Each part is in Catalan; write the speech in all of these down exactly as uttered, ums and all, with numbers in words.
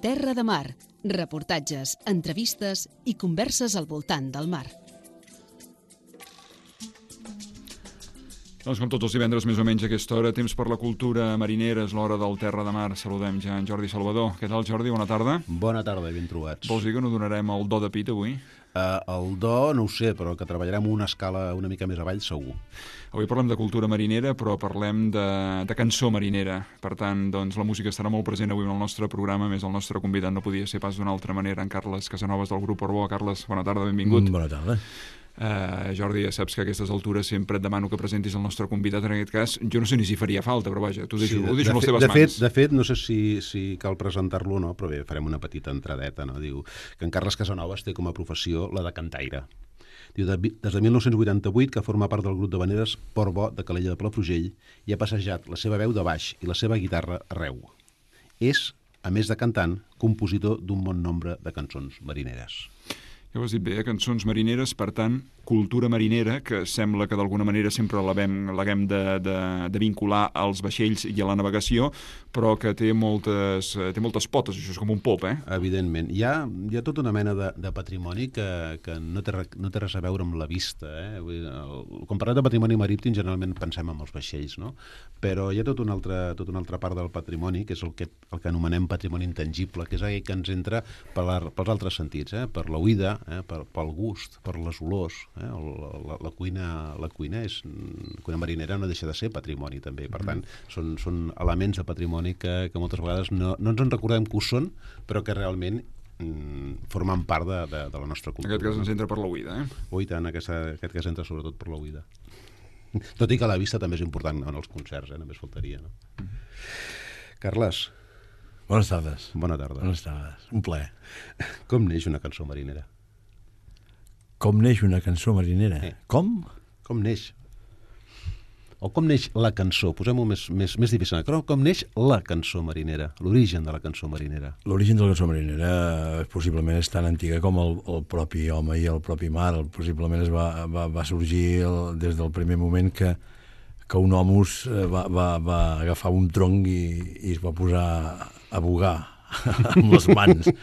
Terra de Mar, reportatges, entrevistes i converses al voltant del mar. Doncs com tots els divendres, més o menys a aquesta hora, temps per la cultura marinera, és l'hora del Terra de Mar. Saludem ja en Jordi Salvador. Què tal, Jordi? Bona tarda. Bona tarda i ben trobats. Vols dir que no donarem el do de pit avui? Uh, el do no ho sé, però que treballarem una escala una mica més avall segur. Avui parlem de cultura marinera, però parlem de, de cançó marinera. Per tant, doncs, la música estarà molt present avui en el nostre programa, més el nostre convidat no podia ser pas d'una altra manera, en Carles Casanovas del grup Portbó. Carles, bona tarda, benvingut. Mm, bona tarda. Uh, Jordi, ja saps que a aquestes altures sempre et demano que presentis el nostre convidat. En aquest cas, jo no sé ni si faria falta, però vaja, t'ho deixo, sí, de, ho deixo en les teves de mans. Fet, de fet, no sé si, si cal presentar-lo o no, però bé, farem una petita entradeta, no? Diu que en Carles Casanovas té com a professió la de cantaire. Diu, de, des de mil nou-cents vuitanta-vuit, que forma part del grup de veneres Portbó de Calella de Palafrugell, i ha passejat la seva veu de baix i la seva guitarra arreu. És, a més de cantant, compositor d'un bon nombre de cançons marineres. Ja ho has dit bé, eh? Cançons marineres, per tant, cultura marinera, que sembla que d'alguna manera sempre l'haguem de, de, de vincular als vaixells i a la navegació, però que té moltes, té moltes potes, això és com un pop, eh? Evidentment. Hi ha, hi ha tota una mena de, de patrimoni que, que no, té, no té res a veure amb la vista, eh? Vull dir, el, quan parlem de patrimoni marítim, generalment pensem en els vaixells, no? Però hi ha tota una altra, tota una altra part del patrimoni, que és el que, el que anomenem patrimoni intangible, que és aquell que ens entra per la, pels altres sentits, eh? Per l'oïda, eh? per, pel gust, per les olors, eh? La, la, la cuina, la cuina és la cuina marinera no deixa de ser patrimoni també, per tant són, són elements de patrimoni que, que moltes vegades no, no ens en recordem que ho són, però que realment mm, formen part de, de, de la nostra cultura. En aquest cas ens entra per l'oïda, eh? Ui, tant, aquesta, aquest cas entra sobretot per l'oïda. Tot i que la vista també és important en els concerts, eh? Només faltaria, no? Mm. Carles. Bones tardes. Bona tarda. Bones tardes. Un plaer. Com neix una cançó marinera? Com neix una cançó marinera? Eh. Com? Com neix? O com neix la cançó? Posem-ho més, més, més difícil. Com, com neix la cançó marinera? L'origen de la cançó marinera? L'origen de la cançó marinera possiblement és tan antiga com el, el propi home i el propi mar. El, possiblement es va, va, va sorgir el, des del primer moment que, que un homus va, va, va agafar un tronc i, i es va posar a bugar amb les mans.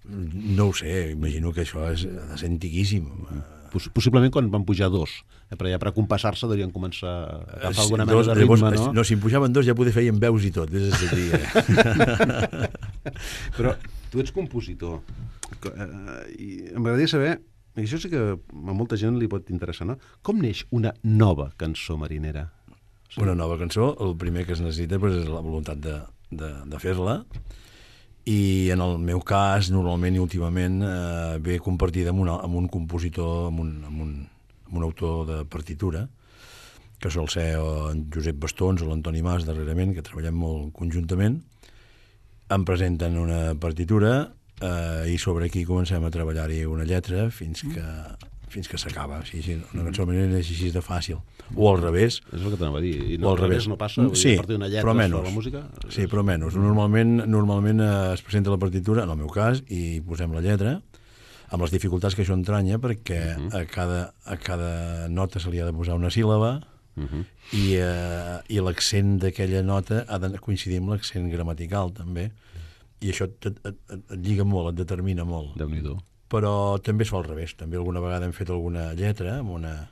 No ho sé, imagino que això és de ser antiquíssim. Poss possiblement quan van pujar dos, eh? Però ja per compassar-se devien començar a agafar alguna mena dos, de ritme, llavors, no? No, si en pujaven dos ja poder feien veus i tot, des de set dia. Però tu ets compositor, i m'agradaria saber, i això sí que a molta gent li pot interessar, no? Com neix una nova cançó marinera? Sí. Una nova cançó, el primer que es necessita pues, és la voluntat de, de, de fer-la, i en el meu cas, normalment i últimament, eh, ve compartida amb, una, amb un compositor, amb un, amb, un, amb un autor de partitura, que sol ser en Josep Bastons o l'Antoni Mas, darrerament, que treballem molt conjuntament. Em presenten una partitura eh, i sobre aquí comencem a treballar-hi una lletra fins que, fins que s'acaba. Sí, sí, una cançó marinera és així de fàcil. O al revés. És el que t'anava a dir. I no, o al revés no passa? Sí, a partir d'una lletra però menys. sobre la música? Sí, però menys. Normalment, normalment es presenta la partitura, en el meu cas, i posem la lletra, amb les dificultats que això entranya, perquè uh -huh. a, cada, a cada nota se li ha de posar una síl·laba, uh -huh. i, eh, i l'accent d'aquella nota ha de coincidir amb l'accent gramatical, també. I això et, et, et, et lliga molt, et determina molt. Déu-n'hi-do. Però també es fa al revés. També alguna vegada hem fet alguna lletra amb una,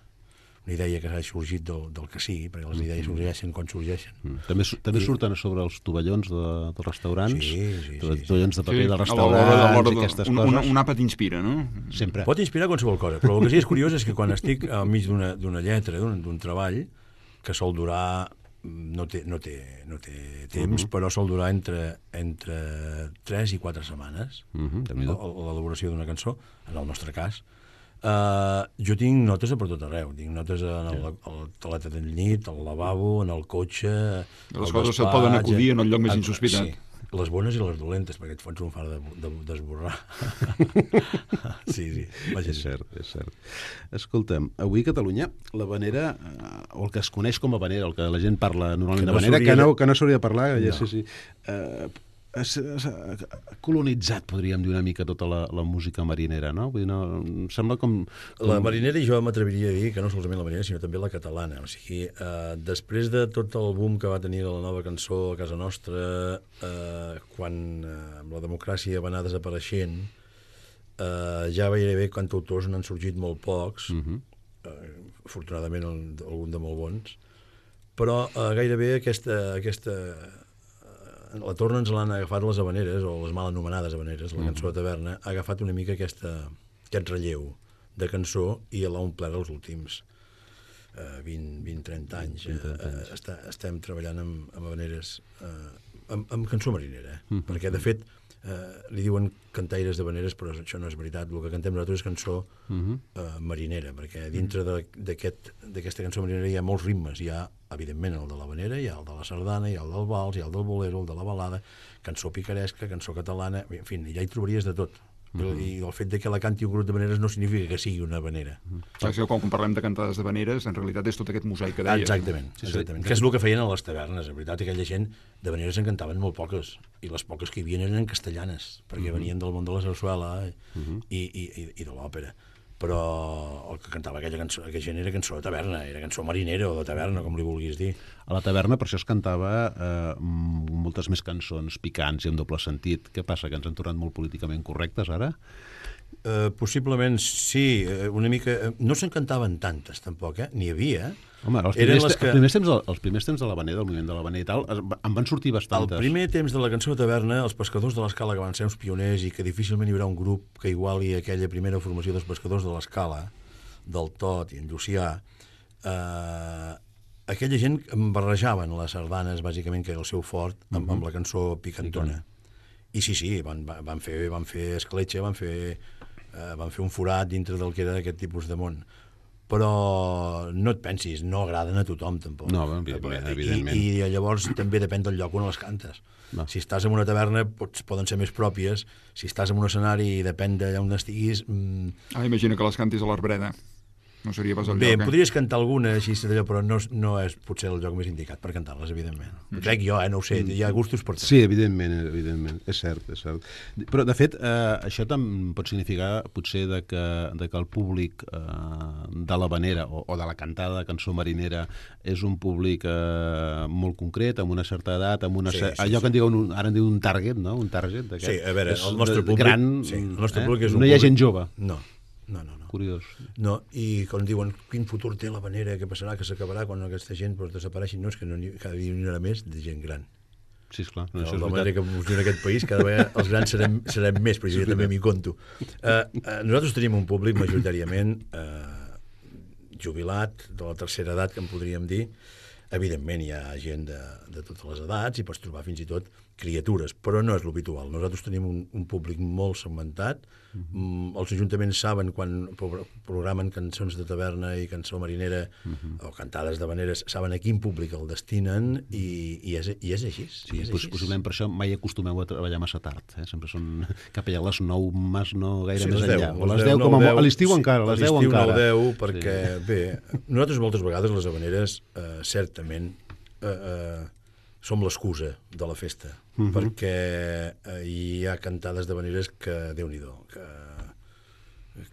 una idea que s'ha sorgit del, del que sigui, perquè les idees sorgeixen quan sorgeixen. Mm. També, també I... surten a sobre els tovallons de, dels restaurants, sí, sí, sí, tovallons de paper sí, dels restaurants i aquestes un, coses. Un, un àpat inspira, no? Sempre. Pot inspirar qualsevol cosa, però el que sí és curiós és que quan estic al mig d'una lletra, d'un treball, que sol durar no té, no té, no té temps, uh -huh. però sol durar entre, entre tres i quatre setmanes, uh -huh, l'elaboració d'una cançó, en el nostre cas. Uh, jo tinc notes a per tot arreu. Tinc notes en el, el toaleta del llit, al lavabo, en el cotxe... Les coses se't poden acudir en el lloc més a, insospitat. Sí, les bones i les dolentes, perquè et fots un far d'esborrar. Sí, sí. Vaja, és cert, és cert. Escolta'm, avui a Catalunya la vanera, o el que es coneix com a vanera, el que la gent parla normalment no de vanera, que de... no, que no s'hauria de parlar, no. ja sí, sí. Uh, ha colonitzat, podríem dir una mica, tota la, la música marinera, no? Vull dir, no, em sembla com, com... La marinera, i jo m'atreviria a dir que no solament la marinera, sinó també la catalana. O sigui, eh, després de tot el boom que va tenir la nova cançó a casa nostra, eh, quan eh, amb la democràcia va anar desapareixent, eh, ja gairebé cantautors n'han sorgit molt pocs, uh-huh. eh, afortunadament algun de molt bons, però eh, gairebé aquesta, aquesta eh, la torna ens l'han agafat les habaneres, o les mal anomenades habaneres, la cançó de taverna, ha agafat una mica aquesta, aquest relleu de cançó i l'ha omplert els últims eh, vint a trenta anys. vint, trenta anys. Eh, està, estem treballant amb, amb habaneres, eh, amb, amb cançó marinera, eh? Mm-hmm. Perquè de fet eh, li diuen cantaires d'habaneres, però això no és veritat. El que cantem nosaltres és cançó mm-hmm. eh, marinera, perquè dintre d'aquesta aquest, cançó marinera hi ha molts ritmes. Hi ha, evidentment, el de l'habanera, hi ha el de la sardana, hi ha el del vals, hi ha el del bolero, el de la balada, cançó picaresca, cançó catalana, en fi, ja hi trobaries de tot. Mm-hmm. I el fet de que la canti un grup d'habaneres no significa que sigui una habanera. Mm-hmm. Clar, que quan parlem de cantades d'habaneres, en realitat és tot aquest mosaic que deia. Exactament, exactament. Sí, sí. Que és el que feien a les tavernes. En veritat, aquella gent d'habaneres en cantaven molt poques, i les poques que hi havia eren castellanes, perquè mm-hmm. venien del món de la sarsuela mm-hmm. i, i, i, i de l'òpera. Però el que cantava aquella cançó, aquella gent era cançó de taverna, era cançó marinera o de taverna, com li vulguis dir. A la taverna per això es cantava eh, moltes més cançons picants i amb doble sentit. Què passa, que ens han tornat molt políticament correctes ara? Uh, possiblement sí, una mica... No se'n cantaven tantes, tampoc, eh? N'hi havia. Home, els primers, les que... els, primers temps, els primers temps de l'habanera, del moviment de l'habanera i tal, en van sortir bastantes. El primer temps de la cançó de taverna, els pescadors de l'Escala, que van ser uns pioners i que difícilment hi haurà un grup que iguali aquella primera formació dels pescadors de l'Escala, del Tot i en Llucià, eh, aquella gent barrejaven les sardanes, bàsicament, que era el seu fort, amb, mm-hmm. amb la cançó picantona. I sí, sí, van, van, fer, van fer escletxa, van fer... Uh, van fer un forat dintre del que era aquest tipus de món. Però no et pensis, no agraden a tothom, tampoc. No, evidentment. evidentment. I, I llavors també depèn del lloc on les cantes. No. Si estàs en una taverna, pots, poden ser més pròpies. Si estàs en un escenari i depèn d'allà on estiguis... Mm... Ah, imagina que les cantis a l'Arbreda. No seria pas el Bé, lloc, eh? podries cantar alguna, així, però no, no és potser el lloc més indicat per cantar-les, evidentment. Mm. Crec jo, eh? No ho sé, hi ha gustos per tot. Sí, evidentment, evidentment, és cert, és cert. Però, de fet, eh, això també pot significar, potser, de que, de que el públic eh, de l'habanera o, o de la cantada de cançó marinera és un públic eh, molt concret, amb una certa edat, amb una sí, cer... sí, allò sí. que en diuen, un, ara en diuen un target, no? Un target d'aquest. Sí, a veure, és el nostre públic... Gran, sí, el nostre eh? públic és un no hi ha públic... gent jove. No. No, no, no. Curiós. No, i quan diuen quin futur té l'habanera, què passarà, que s'acabarà quan aquesta gent pues, desapareixi, no és que no, cada dia n'hi haurà més de gent gran. Sí, esclar. No, no, la manera que viu en aquest país, cada vegada els grans serem, serem més, però jo també m'hi conto. Uh, uh, nosaltres tenim un públic majoritàriament uh, jubilat, de la tercera edat, que en podríem dir. Evidentment hi ha gent de, de totes les edats i pots trobar fins i tot criatures, però no és l'habitual. Nosaltres tenim un, un públic molt segmentat. Mm-hmm. Els ajuntaments saben quan programen cançons de taverna i cançó marinera mm-hmm. o cantades d'habaneres, saben a quin públic el destinen i, i, és, i és així. Sí, és doncs, així. Possiblement per això mai acostumeu a treballar massa tard. Eh? Sempre són cap allà a les nou, més no gaire sí, més deu, enllà. O les deu, com a, a l'estiu sí, encara, a les deu encara. A l'estiu no deu, perquè, sí. bé, nosaltres moltes vegades les habaneres, eh, certament, eh, eh, som l'excusa de la festa, uh-huh. perquè eh, hi ha cantades d'habaneres que, Déu-n'hi-do, que,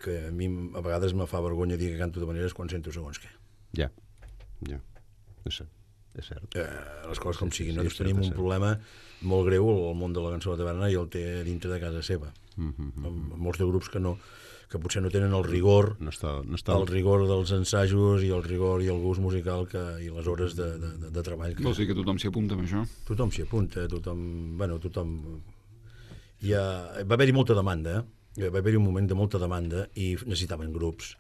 que a mi a vegades me fa vergonya dir que canto d'habaneres quan sento segons què. Ja, ja, és cert. És cert. Eh, les coses com sí, siguin. Sí, Nosaltres sí, tenim cert, un problema molt greu al món de la cançó de taverna i el té dintre de casa seva. Uh-huh. Amb molts de grups que no que potser no tenen el rigor no està, no està... el rigor dels ensajos i el rigor i el gust musical que, i les hores de, de, de, de treball. Que... Vols dir que tothom s'hi apunta amb això? Tothom s'hi apunta, tothom... Bueno, tothom... Hi ha... Va haver-hi molta demanda, eh? Va haver-hi un moment de molta demanda i necessitaven grups.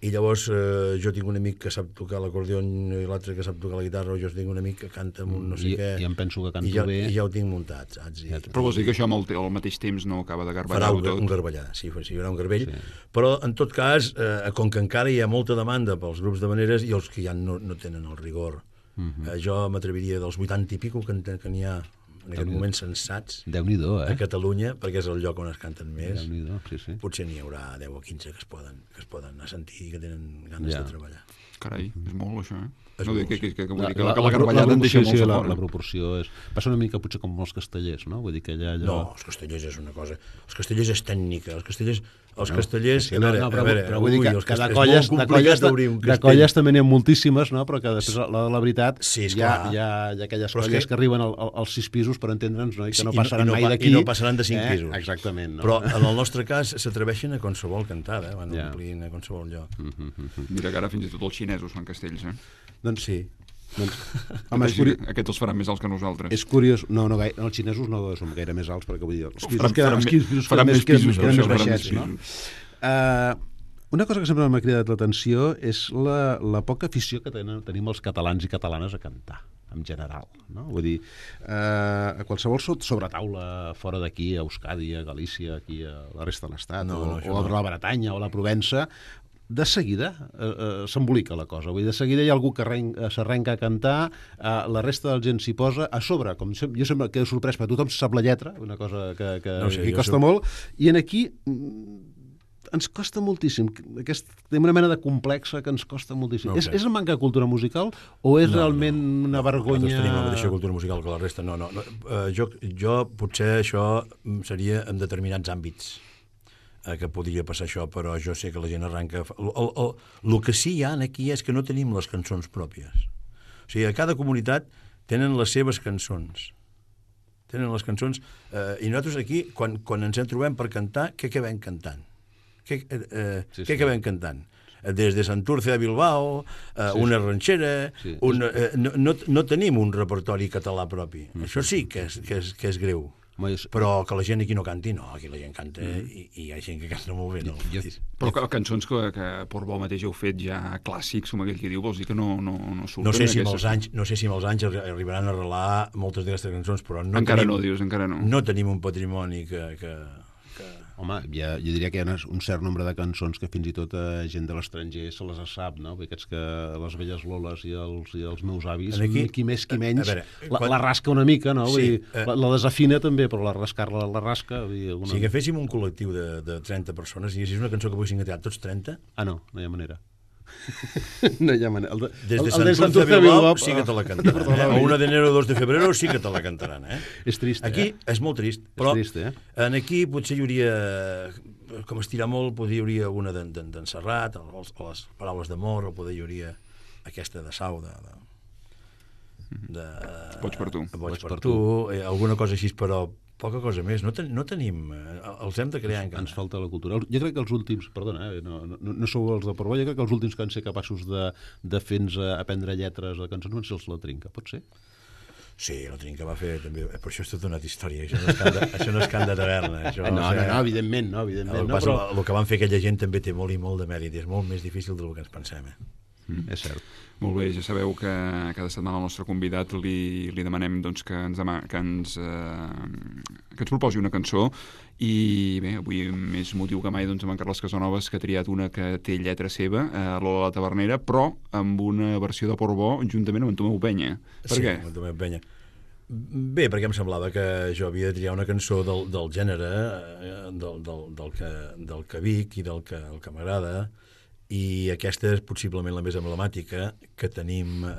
I llavors eh, jo tinc un amic que sap tocar l'acordió i l'altre que sap tocar la guitarra, o jo tinc un amic que canta amb un no sé I, què. I em penso que canto i ja, bé. I ja ho tinc muntat, saps? I, Però vols dir que això amb el, al mateix temps no acaba de farà garballar-ho un, tot? un garbellar, sí, sí, hi haurà un garbell. Sí. Però, en tot cas, eh, com que encara hi ha molta demanda pels grups d'habaneres i els que ja no, no tenen el rigor. Uh-huh. eh, jo m'atreviria dels vuitanta i pico que, que n'hi ha en aquest moment sensats Déu-n'hi-do, eh? a Catalunya, perquè és el lloc on es canten més. Déu-n'hi-do, sí, sí. Potser n'hi haurà deu o quinze que es poden, que es poden assentir i que tenen ganes ja. de treballar. Carai, és molt, això, eh? És No, molt, que, que, que, vull La, dir que la, la, la, la garballada la en deixa proporció, molt sí, la, fora. la proporció és... Passa una mica potser com els castellers, no? Vull dir que allà... allò... No, els castellers és una cosa... Els castellers és tècnica, els castellers... Els No, castellers... sí, no, no, però, a veure, però vull dir ui, que, els que de castellers- colles, és molt de complicat colles, obrir un de castell. colles també n'hi ha moltíssimes, no? Però que després, la de la veritat, Sí, hi, ha, esclar. hi, ha, hi ha aquelles Però és colles que- que... que arriben al, al, als sis pisos, per entendre'ns, no? I que Sí, no i no- passaran i no mai pa- d'aquí. i no passaran de cinc eh? pisos. Exactament. No? Però en el nostre cas s'atreveixen a qualsevol cantada, van Ja. omplint a qualsevol lloc. Mm -hmm. Mira que ara fins i tot els xinesos fan castells, eh? Doncs Sí. Doncs, home, és, Així curi... que Aquests els faran més alts que nosaltres. és curiós... No, no, gaire, no, els xinesos no són gaire més alts, perquè vull dir, els pisos Faran- queden, faran els me- pisos faran queden més queden- pisos, queden això, més faran baixets, més no? pisos. Uh, una cosa que sempre m'ha cridat l'atenció és la, la poca afició que tenen, tenim els catalans i catalanes a cantar, en general, no? Vull dir, uh, a qualsevol so- sobretaula fora d'aquí, a Euskadi, a Galícia, aquí a la resta de l'Estat, No, o, no, això o a no. la Bretanya o a la Provença, de seguida eh, eh, s'embolica la cosa. Vull dir, de seguida hi ha algú que arren- eh, s'arrenca a cantar, eh, la resta de la gent s'hi posa a sobre, com sem- jo sempre quedo sorprès, perquè tothom sap la lletra, una cosa que, que, No sé, que jo costa soc- molt, i en aquí mm, ens costa moltíssim. Aquest, tenim una mena de complexa que ens costa moltíssim. No ho és, sé. és manca de cultura musical o és No, realment no. una vergonya... Nosaltres tenim la mateixa cultura musical que la resta. No, no. no. Uh, jo, jo potser això seria en determinats àmbits eh, que podria passar això, però jo sé que la gent arranca... El, el, el, el que sí hi ha aquí és que no tenim les cançons pròpies. O sigui, a cada comunitat tenen les seves cançons. Tenen les cançons... Eh, I nosaltres aquí, quan, quan ens en trobem per cantar, què acabem cantant? Què, eh, eh, Sí, què sí. acabem cantant? Des de Santurce a Bilbao, eh, Sí, una sí. ranxera... Sí. Una, eh, no, no, no tenim un repertori català propi. Mm. Això sí que és, que és, que és greu. Home, jo- Però que la gent aquí no canti, no, aquí la gent canta i, i hi ha gent que canta molt bé. No? Jo- Però que, cançons que, que Portbou mateix heu fet ja clàssics, com aquell que diu, vols dir que no, no, no surten No sé, si amb aquestes? els anys, no sé si amb els anys arri- arribaran a arrelar moltes d'aquestes cançons, però no Encara tenim, no, dius, encara no. no tenim un patrimoni que... que, que... Home, ja, jo diria que hi ha un cert nombre de cançons que fins i tot a gent de l'estranger se les sap, no? Perquè aquests que les velles loles i els, i els meus avis, Aquí- qui més qui menys, a veure, la, quan- la rasca una mica, no? Vull Sí, dir, eh, la, la desafina també, però la rascar-la la rasca... Vull dir, alguna... Si agaféssim un col·lectiu de, de trenta persones i diguessis una cançó que poguessin cantar tots trenta, Ah, no, no hi ha manera. no hi ha manera. El de, des de el- el Sant Sant Turce a Turce a Bilbao Bilbao, sí que te la ah, cantaran. Eh? perdoneu. O una d'enero o dos de febrero sí que te la cantaran. Eh? És trist, Aquí eh? és molt trist, però trist, eh? en aquí potser hi hauria, com estirar molt, potser hi hauria alguna d'en d'en- d'en Serrat, o les, o les paraules d'amor, o potser hi hauria aquesta de Sau, de... de, de Boig per tu. Boig per tu, eh, alguna cosa així, però poca cosa més. No, ten, no tenim... eh, Els hem de crear encara. Ens falta la cultura. Jo crec que els últims, perdona, eh, no, no, no sou els de Portbou, jo crec que els últims que van ser capaços de, de fer-nos aprendre lletres de cançons van ser els La Trinca, pot ser? Sí, la Trinca va fer també... Per això és tota una història. Això no és cant de, això no és cant de taverna. Això, No, o sigui, no, no, evidentment, no, evidentment. El, No, passa, però... el que van fer aquella gent també té molt i molt de mèrit. És molt més difícil del que ens pensem. Eh? Mm, és cert. Molt bé, ja sabeu que cada setmana al nostre convidat li, li demanem doncs, que, ens dema, que, ens, eh, que ens proposi una cançó i bé, avui més motiu que mai doncs, amb en Carles Casanovas, que ha triat una que té lletra seva, eh, Lola la Tavernera, però amb una versió de Portbou juntament amb en Tomeu Penya. Per sí, què? amb Tomeu Penya. Bé, perquè em semblava que jo havia de triar una cançó del, del gènere, eh, del, del, del, que, del que vic i del que, el que m'agrada, i aquesta és possiblement la més emblemàtica que tenim, eh,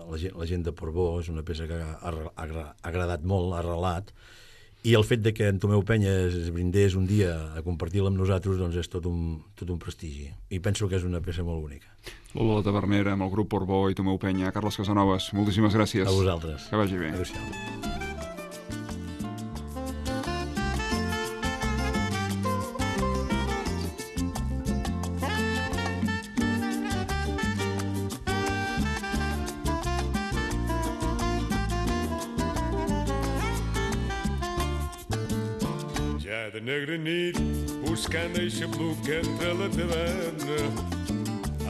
la, gent, la gent de Portbou, és una peça que ha, ha, ha agradat molt, ha arrelat, i el fet de que en Tomeu Penya es brindés un dia a compartir-la amb nosaltres doncs és tot un, tot un prestigi, i penso que és una peça molt bonica. Lola la Tavernera amb el grup Portbou i Tomeu Penya. Carles Casanovas, moltíssimes gràcies. A vosaltres. Que vagi bé. Adéu-siau. Ja de negra nit, buscant eixa bluca entre la taverna,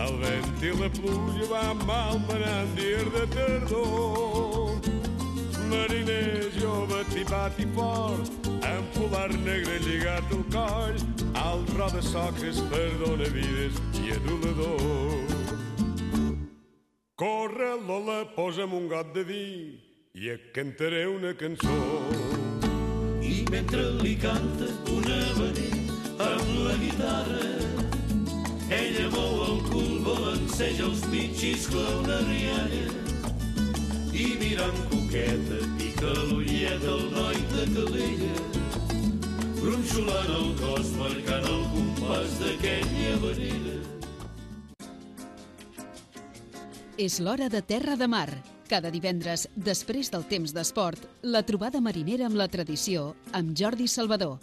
el vent i la pluja van malmenant dies de tardor. Mariner jove, tipat i fort, amb polar negre lligat al coll, al roda soques perdona vides i adulador. Corre, Lola, posa'm un got de vi i et cantaré una cançó. I mentre li canta un habaner amb la guitarra, ella mou el cul, balanceja els pitxis com una rialla i mirant coqueta pica l'ullet el noi de Calella, gronxolant el cos marcant el compàs d'aquella manera. És l'hora de Terra de Mar. Cada divendres, després del temps d'esport, la trobada marinera amb la tradició amb Jordi Salvador,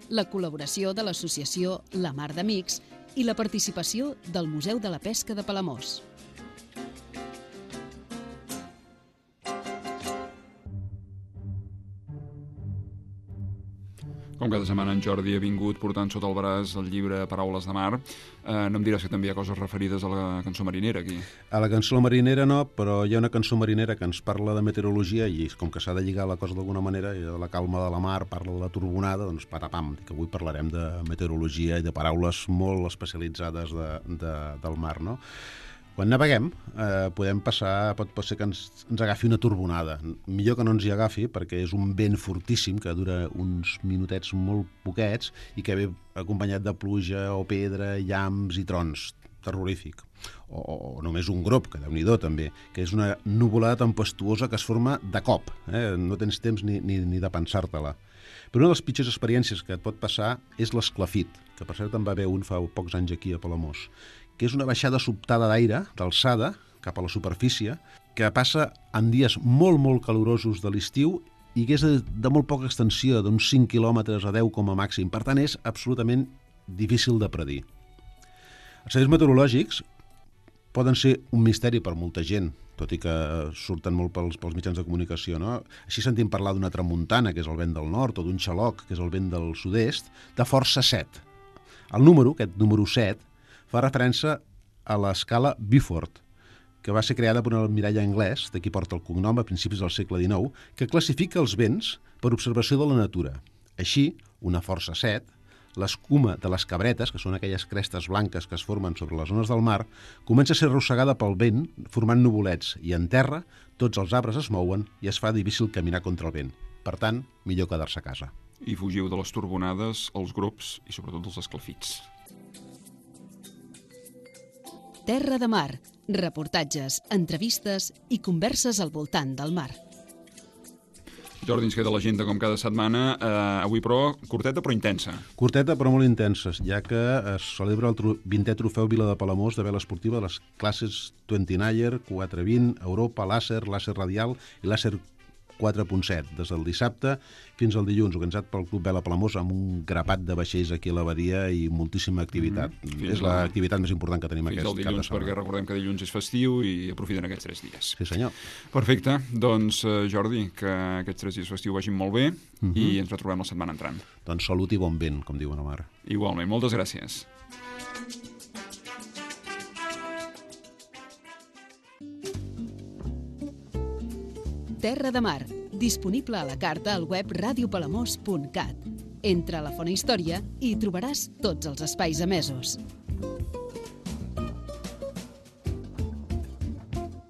la col·laboració de l'associació La Mar d'Amics i la participació del Museu de la Pesca de Palamós. Com cada setmana en Jordi ha vingut portant sota el braç el llibre Paraules de Mar. Eh, no em diràs que també hi ha coses referides a la cançó marinera aquí? A la cançó marinera no, però hi ha una cançó marinera que ens parla de meteorologia i com que s'ha de lligar la cosa d'alguna manera, i de la calma de la mar, parla de la turbonada, doncs patapam, que avui parlarem de meteorologia i de paraules molt especialitzades de, de, del mar, no? Quan naveguem, eh, podem passar, pot, pot ser que ens, ens agafi una turbonada. Millor que no ens hi agafi, perquè és un vent fortíssim que dura uns minutets molt poquets i que ve acompanyat de pluja o pedra, llamps i trons. Terrorífic. O, o només un grop, que déu-n'hi-do també, que és una nuvolada tempestuosa que es forma de cop. Eh? No tens temps ni, ni, ni de pensar-te-la. Però una de les pitjors experiències que et pot passar és l'esclafit, que per cert en va haver un fa pocs anys aquí a Palamós, que és una baixada sobtada d'aire, d'alçada, cap a la superfície, que passa en dies molt, molt calorosos de l'estiu i que és de, de molt poca extensió, d'uns cinc quilòmetres a deu com a màxim. Per tant, és absolutament difícil de predir. Els serveis meteorològics poden ser un misteri per molta gent, tot i que surten molt pels, pels mitjans de comunicació, no? Així sentim parlar d'una tramuntana, que és el vent del nord, o d'un xaloc, que és el vent del sud-est, de força set. El número, aquest número set, fa referència a l'escala Beaufort, que va ser creada per un almirall anglès, d'aquí porta el cognom, a principis del segle dinou, que classifica els vents per observació de la natura. Així, una força set, l'escuma de les cabretes, que són aquelles crestes blanques que es formen sobre les zones del mar, comença a ser arrossegada pel vent, formant nuvolets, i en terra tots els arbres es mouen i es fa difícil caminar contra el vent. Per tant, millor quedar-se a casa. I fugiu de les turbonades, els grups i sobretot dels esclafits. Terra de Mar, reportatges, entrevistes i converses al voltant del mar. Jordi, ens queda l'agenda com cada setmana, eh, avui però curteta però intensa. Curteta però molt intensa, ja que es celebra el tro- vintè trofeu Vila de Palamós de vela esportiva de les classes vint-niner, quatre vint, Europa, làser, làser radial i làser quatre punt set, des del dissabte fins al dilluns, organitzat pel Club Vela Palamós amb un grapat de vaixells aquí a la badia i moltíssima activitat. Mm, és l'activitat més important que tenim fins aquest al dilluns, cap de setmana. perquè recordem que dilluns és festiu i aprofiten aquests tres dies. Sí, senyor. Perfecte, doncs eh, Jordi, que aquests tres dies festiu vagin molt bé Mhm. i ens retrobem la setmana entrant. Doncs salut i bon vent, com diuen a mar. Igualment, moltes gràcies. Terra de Mar, disponible a la carta al web radiopalamós punt cat. Entra a la Fona Història i hi trobaràs tots els espais emesos.